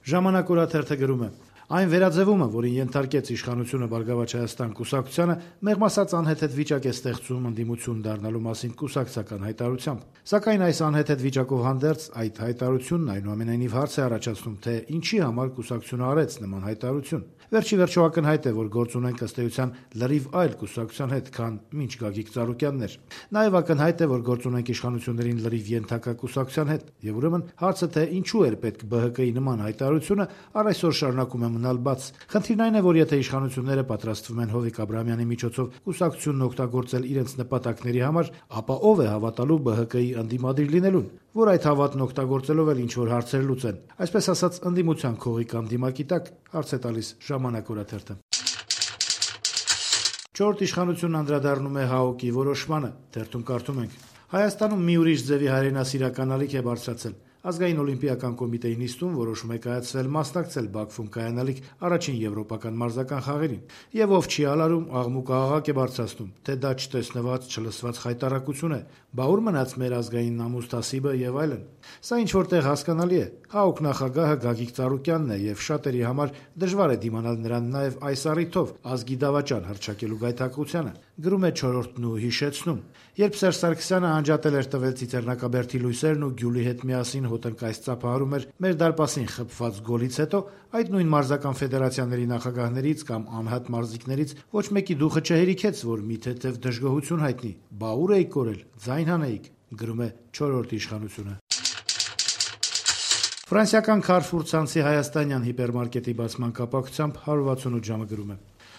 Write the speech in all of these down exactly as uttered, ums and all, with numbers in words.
Ժամանակ օրաթերթը գրում է. Այն վերաձևումը, որին ենթարկեց իշխանությունը Բարգավաճ Հայաստան կուսակցությանը, մեղմ ասած անհեթեթ վիճակ է ստեղծում ընդդիմություն դառնալու մասին կուսակցական հայտարարությամբ։ Սակայն այս անհեթեթ վիճակով հանդերձ այդ հայտարարությունն այնուամենայնիվ հարց է առաջացնում, թե ինչի համար կուսակցությունը արեց նման հայտարարություն։ Վերջի վերջո ակնհայտ է, որ գործ ունենք ըստ էության լրիվ այլ կուսակցության հետ, քան մինչ Գագիկ Ծառուկյանն էր։ Նաև ակնհայտ է, որ գործ ունենք իշխանություններին լրիվ ենթակա կուսակցության հետ, եւ ուրեմն հարցը, թե ինչու էր պետք Բ Հ Կ-ի նման հայտարարությունը, առ այսօր շարունակում է մնալ բաց։ Խնդիրն այն է, որ եթե իշխանությունները պատրաստվում են Հովիկ Աբրահամյանի միջոցով կուսակցությունն օգտագործել իրենց նպատակների համար, ապա ով է հավատալու Բ Հ Կ-ի ընդդիմադիր լինելուն, որ այդ հավատն օգտագործելով էլ ինչ-որ հարցեր լուծեն։ Այսպես ասած, ընդդիմության քողի կամ դիմակի տակ, հարց է տալիս Ժամանակ օրաթերթը։ Չորրորդ իշխանությունն անդրադառնում է Հ Օ Կ-ի որոշմանը, թերթում կարդում ենք. Հայաստանում մի ուրիշ ձևի հայրենասիրական ալիք է բարձրացել։ Ազգային օլիմպիական կոմիտեի նիստում որոշում է կայացվել մասնակցել Բաքվում կայանալիք առաջին եվրոպական մարզական խաղերին, եւ ով չի ալարում, աղմուկ աղաղակ է բարձրացնում, թե դա չտեսնված, չլսված խայտառակություն է, բա ուր մնաց մեր ազգային նամուսթասիբը եւ այլն։ Սա ինչ որտեղ հասկանալի է։ Հ Օ Կ նախագահը Գագիկ Ծառուկյանն է եւ շատերի համար դժվար է դիմանալ նրան նաեւ այս առիթով ազգի դավաճան հռչակելու գայթակղությանը, գրում է Չորրորդն ու հիշեցնում. Երբ Սերժ Սարգսյանը անջատել էր տվել Ծիծեռնակաբերդի լույսերն ու Գյուլի հետ միասին հոտնկայս ծափահարում էր մեր դարպասին խփված գոլից հետո, այդ նույն մարզական ֆեդերացիաների նախագահներից կամ անհատ մարզիկներից ոչ մեկի դուխը չհերիքեց, որ մի թեթև դժգոհություն հայտնի, բա ուր էիք կորել, ձայն հանեիք, գրում է Չորրորդ իշխանությունը։ Ֆրանսիական Carrefour ցանցի հայաստանյան հիպերմարկետի բացման կապակցությամբ հարյուր վաթսունութ ժամը գրում է.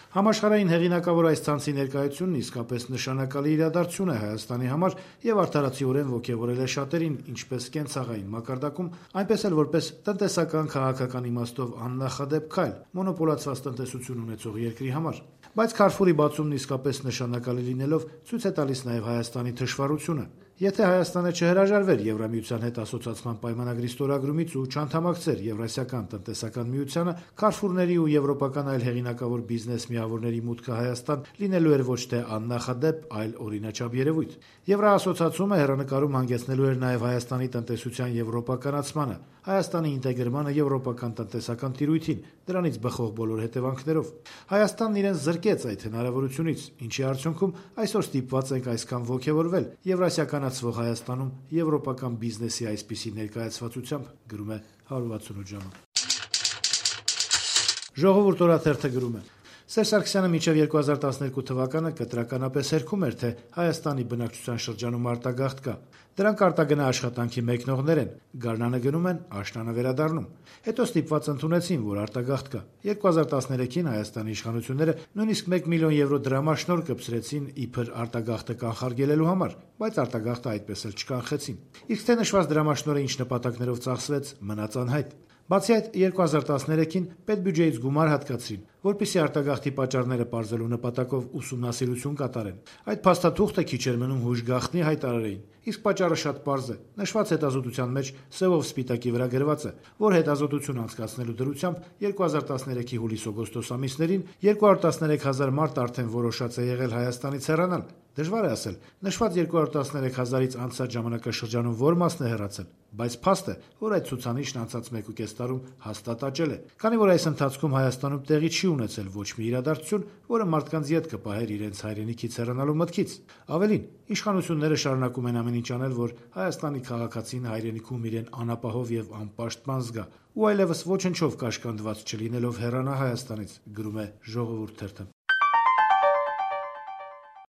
Համաշխարհային հեղինակավոր այս ցանցի ներկայությունն իսկապես նշանակալի իրադարձություն է Հայաստանի համար եւ արդարացիորեն ոգեւորել է շատերին, ինչպես կենցաղային մակարդակում, այնպես էլ որպես տնտեսական քաղաքական իմաստով աննախադեպ քայլ մոնոպոլացված տնտեսություն ունեցող երկրի համար։ Բայց Carrefour-ի բացումն իսկապես նշանակալի լինելով ցույց է տալիս նաեւ Հայաստանի թշվառությունը։ Եթե Հայաստանը չհրաժարվեր Եվրամիության հետ ասոցիացման պայմանագրի ստորագրումից ու չանդամակցեր Եվրասիական տնտեսական միությանը, Carrefour-ների ու եվրոպական այլ հեղինակավոր բիզնես միավորների մուտքը Հայաստան լինելու էր ոչ թե աննախադեպ, այլ օրինաչափ երևույթ։ Եվրաասոցիացումը հեռանկարում հանգեցնելու էր նաև Հայաստանի տնտեսության եվրոպականացմանը, Հայաստանի ինտեգրմանը եվրոպական տնտեսական տիրույթին, դրանից բխող բոլոր հետևանքներով։ Հայաստանն իրեն զրկեց այդ հնարավորությունից, ինչի արդյունքում այսօր ստիպված ենք այսքան ոգևորվել Եվրասիականացվող Հայաստանում եվրոպական բիզնեսի այսպիսի ներկայացվածությամբ, գրում է հարյուր վաթսունութ ժամը։ Ժողովուրդ օրաթերթը գրում է. Սերժ Սարգսյանը մինչև երկու հազար տասներկու թվականը կտրականապես հերքում էր, թե Հայաստանի բնակչության շրջանում արտագաղթ կա։ Դրանք արտագնա աշխատանքի մեկնողներ են, գարնանը գնում են, աշնանը վերադառնում։ Հետո ստիպված ընդունեցին, որ արտագաղթ կա։ երկու հազար տասներեքին Հայաստանի իշխանությունները նույնիսկ մեկ միլիոն եվրո դրամաշնորհ կպսրեցին իբր արտագաղթը կանխարգելելու համար, բայց արտագաղթը այդպես էլ չկանխեցին։ Իսկ թե նշված դրամաշնորհը ինչ նպատակներով ծախսվեց, մնաց անհայտ։ Բացի այդ, երկու հազար տասներեքին պետբյուջեից գումար հատկացրին, որպեսզի արտագաղթի պատճառները պարզելու նպատակով ուսումնասիրություն կատարեն։ Այդ փաստաթուղթը քիչ էր մնում հույժ գաղտնի հայտարարեին, իսկ պատճառը շատ պարզ է։ Նշված հետազոտության մեջ սևով սպիտակի վրա գրված է, որ հետազոտություն անցկացնելու դրությամբ երկու հազար տասներեքի հուլիս-օգոստոս ամիսներին երկու հարյուր տասներեք հազար մարդ արդեն որոշած է եղել Հայաստանից հեռանալ։ Դժվար է ասել, նշված երկու հարյուր տասներեք հազարից անցած ժամանակաշրջանում որ մասն է հեռացել, բայց փաստ է, որ այդ ցուցանիշն անցած մեկ ու կես տարում հաստատ աճել է, քանի որ այս ընթացքում Հայաստանում տեղի չի ունեցել ոչ մի իրադարձություն, որը մարդկանց յետ կպահեր իրենց հայրենիքից հեռանալու մտքից։ Ավելին, իշխանությունները շարունակում են ամեն ինչ անել, որ Հայաստանի քաղաքացին հայրենիքում իրեն անապահով եւ անպաշտպան զգա, ու այլևս ոչնչով կաշկանդված չլինելով հեռանա Հայաստանից, գրում է Ժողովուրդ թերթը։